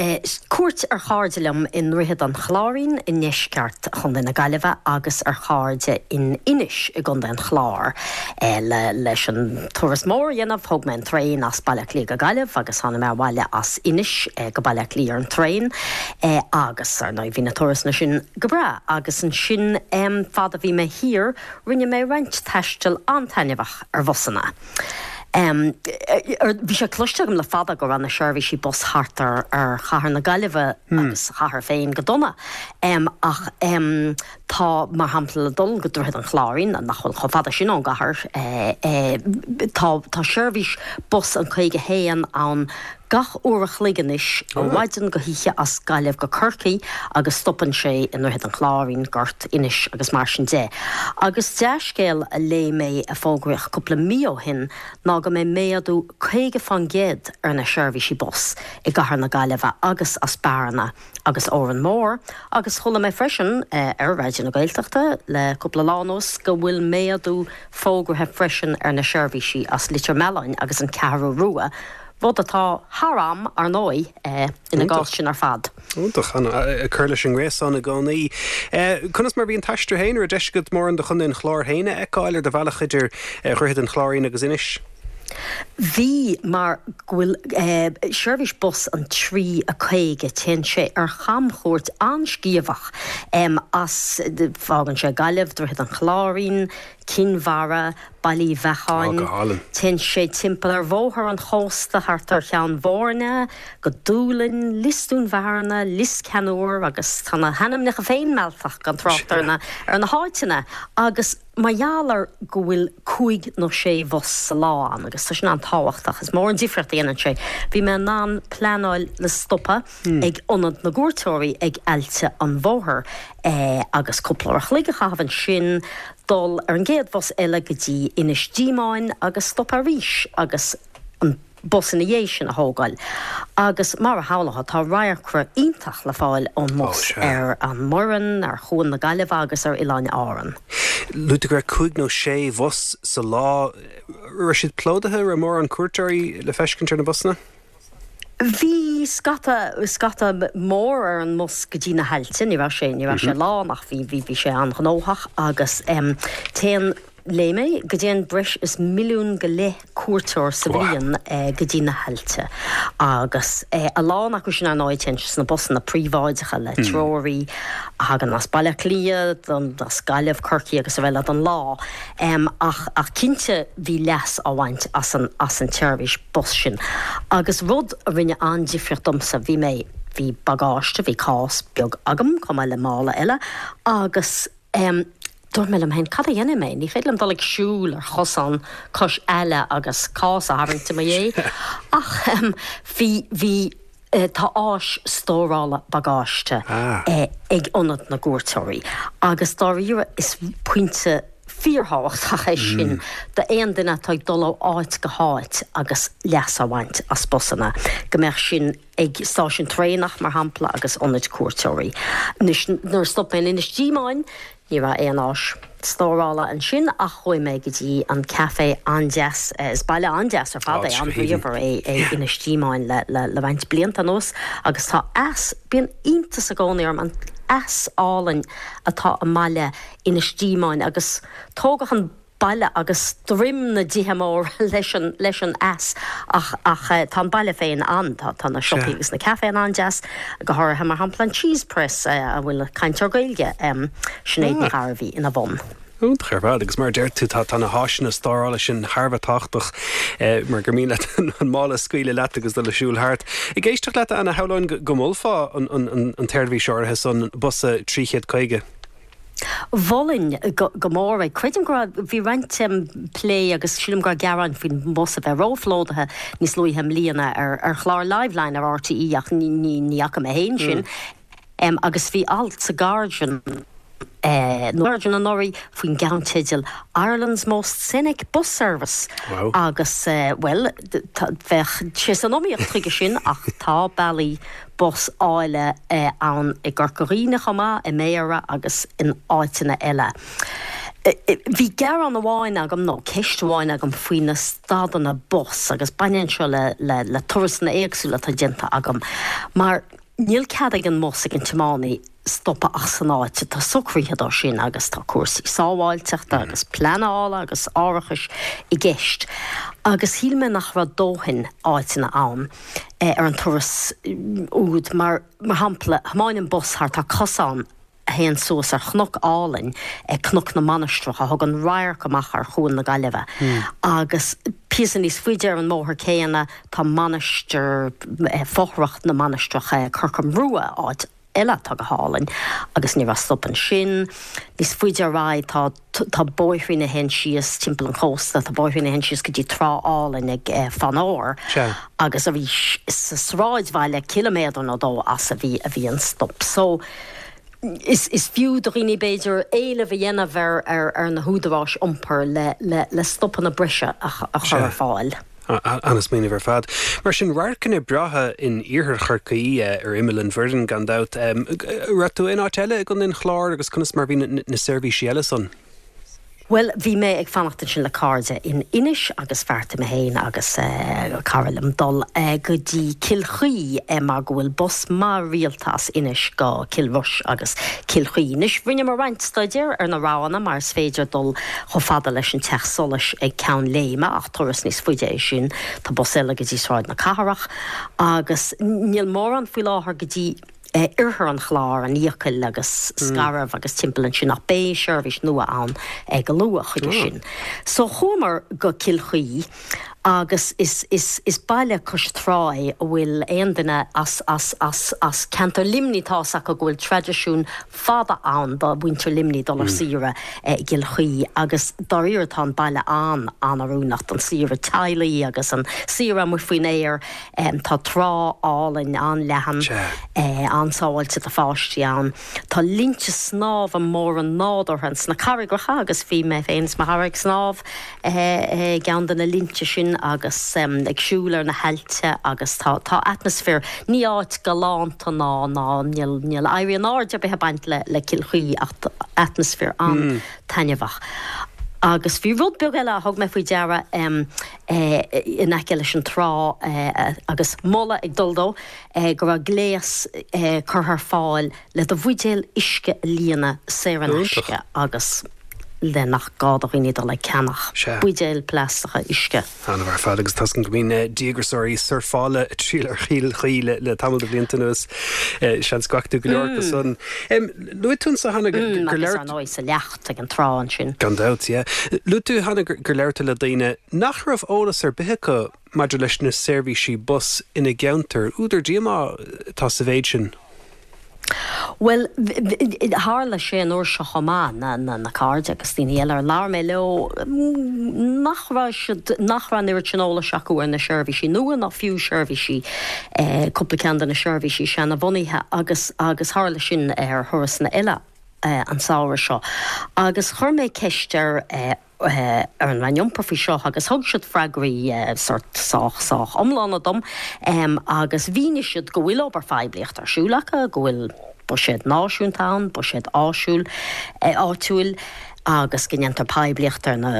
cuairt ar chairde liom i nDroichead an Chláirín i ndeisceart Chontae na Gaillimhe agus ar chairde in Inis i gContae an Chláir. Leis an turas mór a dhéanamh, thóg mé an traein as Baile Átha Cliath go Gaillimh agus tháinig mé abhaile as Inis go Baile Átha Cliath ar an traein agus, ar ndóigh, bhí na turasanna sin Go breá. Agus ansin, fad a bhí mé thiar, rinne mé roinnt taistil an-taitneamhach ar bhusanna. Bhí sé cloiste agam le fada go raibh na seirbhísí bus thart ar chathair na Gaillimhe agus sa chathair féin go dona. Ach tá, mar shampla, le dul go Droichead an Chláirín, nach bhfuil chomh fada sin ón gcathair, tá seirbhís bus an 51 ann Gach uair a chloig anois, ó mhaidin go hoíche as Gaillimh go Corcaigh agus stopann sé i nDroichead an Chláirín, Gort, Inis agus mar sin de. Agus dea-scéal a léigh mé a fógraíodh cúpla mí ó shin ná go mbeidh méadú 50 fán gcéad ar na seirbhísí bus i gcathair na Gaillimhe agus as Bearna agus Órán Mór agus chuala mé freisin ar Raidió na Gaeltachta le cúpla lá anuas go bhfuil méadú fógraithe freisin ar na seirbhísí as Leitir Mealláin agus an Cheathrú Rua rud atá thar am, ar ndóigh, ina gcás sin ar fad. Iontach, ag cur leis an ngréasán i gcónaí. Conas mar a bhí an t-aistear féin? Raibh deis agat mórán de Chontae an Chláir féin a fheiceáil ar do bhealach idir Dhroichead an Chláirín agus Inis? Bhí, mar go bhfuil seirbhís bus an 3 a 50, téann sé ar chamchuairt an-sciamhach as, fágann sé Gaillimh, Droichead an Chláirín, Cinn Mhara, Baile Uí Bheacháin. Téann sé timpeall ar bhóthar an chósta thart ar Cheann Bhoirne, go Dúlainn, Lios Dúin Bhearna, Lios Ceannúir agus tá na hainmneacha féin mealltach gan trácht ar na ar na háiteanna agus mar gheall ar go bhfuil cúig nó sé bhus sa lá ann agus tá sin an-tábhachtach, is mór an difríocht a dhéanann sé. Bhí mé in ann pleanáil le stopadh ag ionad na gcuairteoirí ag Aillte an Bhóthair agus cúpla uair a chloig a chaitheamh ansin, dul ar an gcéad bhus eile go dtí Inis Díomáin agus stopadh arís agus an bus ina dhiaidh sin a thógáil. Agus mar a shamhlófá, tá radharcra iontach le fáil ón mbus ar an mBoireann, ar Chuan na Gaillimhe agus ar Oileáin Árann. Luaigh tú go raibh cúig nó sé bhus sa lá. Raibh siad plódaithe? Raibh mórán cuairteoirí le feiscint ar na busanna? Bhí scata, scata mór ar an mbus go dtí na hAillte, ní raibh sé, ní raibh sé lán ach bhí, bhí, bhí sé an-ghnóthach agus téann. Léigh mé go dtéann breis is 1.5 milliún cuairteoir sa bhliain go dtí na haillte agus a lán acu sin ar ndóigh téann siad sna busanna príobháideacha le treoraí a thagann as Baile Átha Cliath, as Gaillimh, Corcaigh agus araile don lá. Ach ach cinnte bhí leas á bhaint as an as an tseirbhís bus sin. Agus rud a rinne an-difríocht domsa, bhí mé, bhí bagáiste, bhí cás beag agam chomh maith le mála eile agus dúirt mé liom féin, cad a dhéanfaidh mé? Ní féidir liom dul ag siúl ar chosán cois aille agus cás a tharraingt i mo dhiaidh. Ach bhí, bhí, tá áis stórála bagáiste ag Ionad na gCuairteoirí agus dáiríre is pointe fíorthábhachtach é sin d'aon duine atá ag dul ó áit go háit agus leas á bhaint as busanna, go mbeadh sin ag stáisiún traenach, mar shampla, agus ionaid cuairteoirí. Anois, nuair a stop mé in Inis Díomáin, ní raibh aon áis stórála ansin ach chuaigh mé go dtí an café an-deas, is baile an-deas ar fad é, an-bhríomhar é é Inis Díomáin le le roinnt blianta anuas agus tá eas, bíonn iontas i gcónaí orm an eas álainn atá i mbaile Inis Díomáin agus tógadh an baile agus droim na dtithe móra leis an leis an eas ach ach tá an baile féin an tá tá na siopaí agus na caiféanna an-deas, go háirithe mar shampla an Cheese Press a bhfuil cainteoir Gaeilge, Sinéad Ní Ghairbhí ina bhun. Iontach ar fad agus mar a deir tú tá tá na háiseanna stórála sin thar a bheith tábhachtach mar gur mian leat an mála a scaoileadh leat agus dul ag siúl thart. Ag éisteacht leat Anna, shamhlóinn go molfá an an an tseirbhís áirithe san, bus 350. Mholfainn go mór é. Creidim go raibh, bhí roinnt plé agus sílim go raibh gearáin faoin mbus a bheith róphlódaithe níos luaithe i mbliana ar chlár Liveline ar RTÉ ach ní fhaca mé féin sin. Agus bhí alt sa Guardian, nó Guardian anuraidh faoin gceannteideal 'Ireland's Most Scenic Bus Service' agus, bhuel, bheadh sé san iomaíocht chuige sin ach tá bealaí bus áille ann i gCorca Dhuibhne chomh maith, i mBéarra agus in áiteanna eile. Bhí gearán amháin agam, nó ceist amháin agam faoi na stadanna bus agus baineann seo le le turasanna éagsúla atá déanta agam, mar níl cead ag an mbus, ag an tiománaí, stopadh ach san áit atá socraithe dó sin agus tá cúrsaí sábháilteachta agus pleanála agus árachais i gceist agus shíl mé nach raibh dóthain áiteanna ann ar an turas úd mar mar shampla thiomáin an bus thart tá cosán a théann suas ar chnoc álainn, Cnoc na Mainistreach, a thugann radharc amach ar Chuan na Gaillimhe agus píosa níos faide ar an mbóthar céanna tá mainistir, fothrach na mainistreach Corcam Rua, áit eile atá go hálainn agus ní raibh stop ansin. Níos faide ar aghaidh tá tá bóithrín a théann síos timpeall an chósta, tá bóithrín a théann síos go dtí trá álainn ag Fanore agus arís sa sráidbhaile ciliméadar nó dó as a bhí a bhí an stop. So is is fiú do dhaoine b'fhéidir éileamh a dhéanamh ar ar ar na húdaráis iompair le le le stopanna breise a chur ar fáil. An-smaoineamh ar fad. Mar sin, radharcanna breátha in iarthar Chorcaí, ar imeall an Bhoirinn gan dabht. Raibh tú in áit eile i gContae an Chláir agus conas mar bhí na seirbhísí eile san? Bhuel, bhí mé ag fanacht ansin le cairde in Inis agus bheartaigh mé féin agus cara liom dul go dtí Cill Chaoi mar go bhfuil bus maith rialta as Inis go Cill Rois agus Cill Chaoi. Anois, rinneamar roinnt staidéir ar na roghanna mar is féidir dul chomh fada leis an Teach Solais ag Ceann Léime, ach turas níos faide é sin. Tá bus eile go dtí Sráid na Cathrach agus níl mórán faoi láthair go dtí oirthear an Chláir, an Fhiacail agus Scairbh agus timpeall ansin ach beidh seirbhís nua ann go luath chuige sin. So chuamar go Cill Chaoi agus is is is baile cois trá é a bhfuil aon duine as as as as ceantar Luimnigh tá fhios acu go bhfuil traidisiún fada ann do mhuintir Luimnigh dul ar saoire i gCill Chaoi agus dáiríre tá an baile an-an-oiriúnach don saoire teaghlaigh agus an saoire amuigh faoin aer. Tá trá álainn an-leathan, an-sábháilte do pháistí ann. Tá linnte snámha móra nádúrtha ins na carraigreacha agus bhí mé féin is mo chara ag snámh i gceann de na linnte sin agus ag siúl ar na haillte agus tá tá atmaisféar, ní áit galánta ná ná níl níl éirí in airde ar bith ag baint le le Cill Chaoi ach atmaisféar an-taitneamhach. Agus bhí rud beag eile a thug mé faoi deara in aice leis an trá agus moladh ag dul dó go raibh gléas curtha ar fáil le do bhuidéal uisce a líonadh saor in aisce agus. le nach gá do dhaoine dul ag ceannach buidéil plaisteacha uisce. An-mhaith ar fad agus tá a fhios agam go mbíonn díograiseoirí surfála ag triall ar Chill Chaoi le tamall de bhlianta anuas. Seans go bhfaca tú go leor acu san. Luaigh tú anso cheana gur labhair. Agus ar ndóigh sa leacht ag an trá ansin. Gan dabht, yeah. Luaigh tú cheana gur labhair tú le daoine nach raibh eolas ar bith acu maidir leis na seirbhísí bus ina gceantar. Údar díomá atá sa mhéid sin. Bhuel, tharla sé an uair seo chomh maith, na cairde agus daoine eile ar labhair mé leo, nach raibh siad, nach raibh an oiread sin eolais acu ar na seirbhísí nua ná fiú seirbhísí, cúpla ceann de na seirbhísí seanabhunaithe agus, agus tharla sin ar thurasanna eile an samhradh seo. Agus chuir mé ceist ar, ar an Roinn Iompair faoi seo agus thug siad freagraí sórt sách, sách iomlána dom agus mhínigh siad go bhfuil obair phoiblíochta ar siúl acu, go bhfuil buiséad náisiúnta ann, buiséad áisiúil, áitiúil agus go ndéantar poiblíocht ar na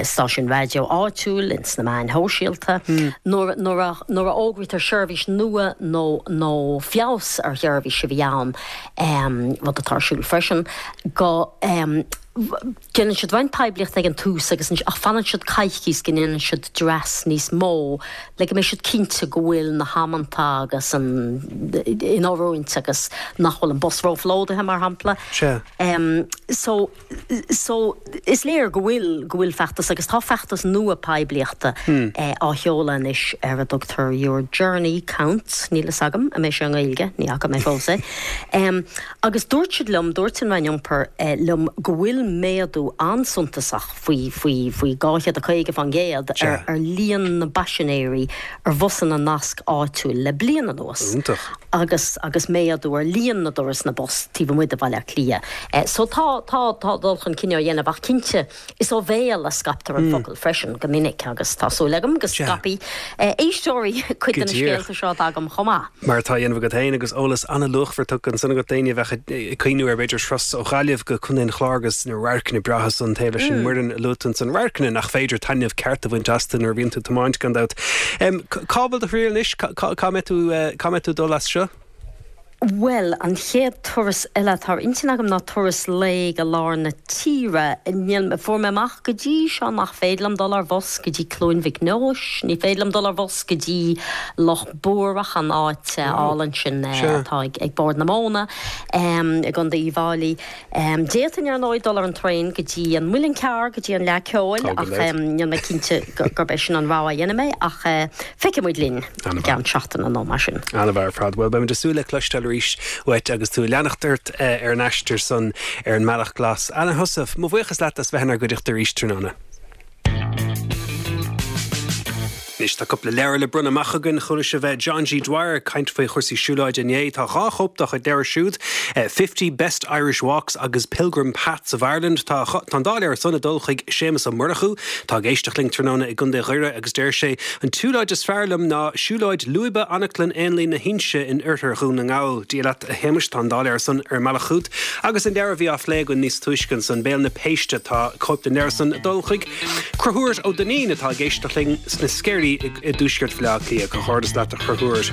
stáisiúin raidió áitiúil, ins na meáin shóisialta. Nuair, nuair a, nuair a fhógraítear seirbhís nua nó, nó feabhas ar sheirbhís a bhí ann, rud atá ar siúl freisin, go. Déanann siad roinnt poiblíochta ag an tús agus ach fanann siad coicíos go ndéanann siad dreas níos mó le go mbeidh siad cinnte go bhfuil na hamanta agus an in oiriúint agus nach bhfuil an bus róphlódaithe mar shampla. Sea. So so is léir go bhfuil go bhfuil feachtas agus tá feachtas nua poiblíochta á sheoladh anois ar a dtugtar Your Journey Counts, níl fhios agam an mbeidh sé i nGaeilge, ní fhaca mé fós é. Agus dúirt siad liom, dúirt an Roinn Iompair liom go bhfuil méadú an-suntasach faoi, faoi, faoi 250% ar, ar líon na bpaisinéirí ar bhusanna nasc áitiúil le bliain anuas. Iontach. Agus, agus méadú ar líon na dturasanna bus taobh amuigh de Bhaile Átha Cliath. So tá, tá, tá dul chun cinn á dhéanamh ach cinnte, Is ó bhéal a scaiptear an focal freisin go minic agus tá súil agam go scaipfidh éisteoirí cuid de na scéalta seo atá agam chomh maith. Mar atá á dhéanamh agat féin agus eolas an-luachmhar tugtha ansan agat d'éinne a bheadh ag cuimhniú ar b'fhéidir turas ó Ghaillimh go Contae an Chláir agus na radharcanna breátha san taobh leis an Mhuireann a luaigh tú ansan, radharcanna nach féidir taitneamh ceart a bhaint astu nuair a bhíonn tú ag tiomáint gan dabht. Cá bhfuil do thriall anois? Cá mbeidh tú, cá mbeidh tú ag dul as seo? Bhuel, an chéad turas eile atá ar intinn agam ná turas lae go lár na tíre. Níl, fuair mé amach go dtí seo nach féidir liom dul ar bhus go dtí Cluain Mhic Nóis, ní féidir liom dul ar bhus go dtí Loch Buarach, an áit álainn sin atá ag Bord na Móna i gContae Uíbh Fhailí. D'fhéadfainn, ar ndóigh, dul ar an traein go dtí an Muileann Cearr, go dtí an Fhleadh Ceoil, ach níl mé cinnte gurb é sin an rogha a dhéanfaidh mé, ach feicfidh muid linn i gceann seachtaine nó mar sin. An-mhaith ar fad. Bhuel, beimid ag súil le cloisteáil arís uait agus tú ag leanacht ort ar an aistear san ar an mBealach Glas. Anna Heussaff, mo bhuíochas leat as bheith inár gcuideachta arís tráthnóna. Anois tá cúpla leabhar le bronnadh amach againn. Chuala sibh John G. Dwyer ag caint faoi chúrsaí siúlóide inné. Tá dhá chóip dá chuid leabhar siúd, Fifty Best Irish Walks agus Pilgrim Paths of Ireland. Tá an dá leabhar san ag dul chuig Séamus Ó Murchú. Tá ag éisteacht linn tráthnóna i gContae Dhoire agus deir sé, An tsiúlóid is fearr liom ná siúlóid lúibe Anaclann Éanlaith na hInse in oirthear Dhún na nGall. Dia leat a Shéamuis, tá an dá leabhar san ar an mbealach chugat. Agus an leabhar a bhí á phlé againn níos túisce ansan, Béal na Péiste, tá cóip den leabhar san ag dul chuig Conchúr Ó Duinnín atá ag éisteacht linn sna Sceirí i dtuaisceart Bhaile Átha Cliath. Comhghairdeas leat a Chonchúir.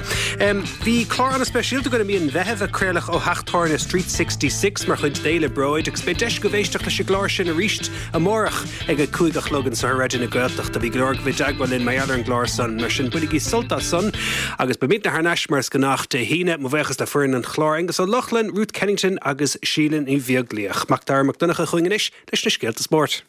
Bhí clár an-speisialta againn i mí an Mheithimh a craoladh ó theach tábhairne Street 66 mar chuid d'Fhéile Bróid agus beidh deis agaibh éisteacht leis an gclár sin arís amárach ag a 5 a chlog anseo ar Raidió na Gaeltachta. Bhí go leor agaibh i dteagmháil linn mar gheall ar an gclár san, mar sin bainigí sult as san agus beimidne thar n-ais mar is gnách Dé hAoine. Mo bhuíochas le foireann an chláir, Aengus Ó Lochlainn, Ruth Kennington agus Síle Ní Bheaglaoich. Mac Dara Mac Donncha chugainn anois leis na scéalta spóirt.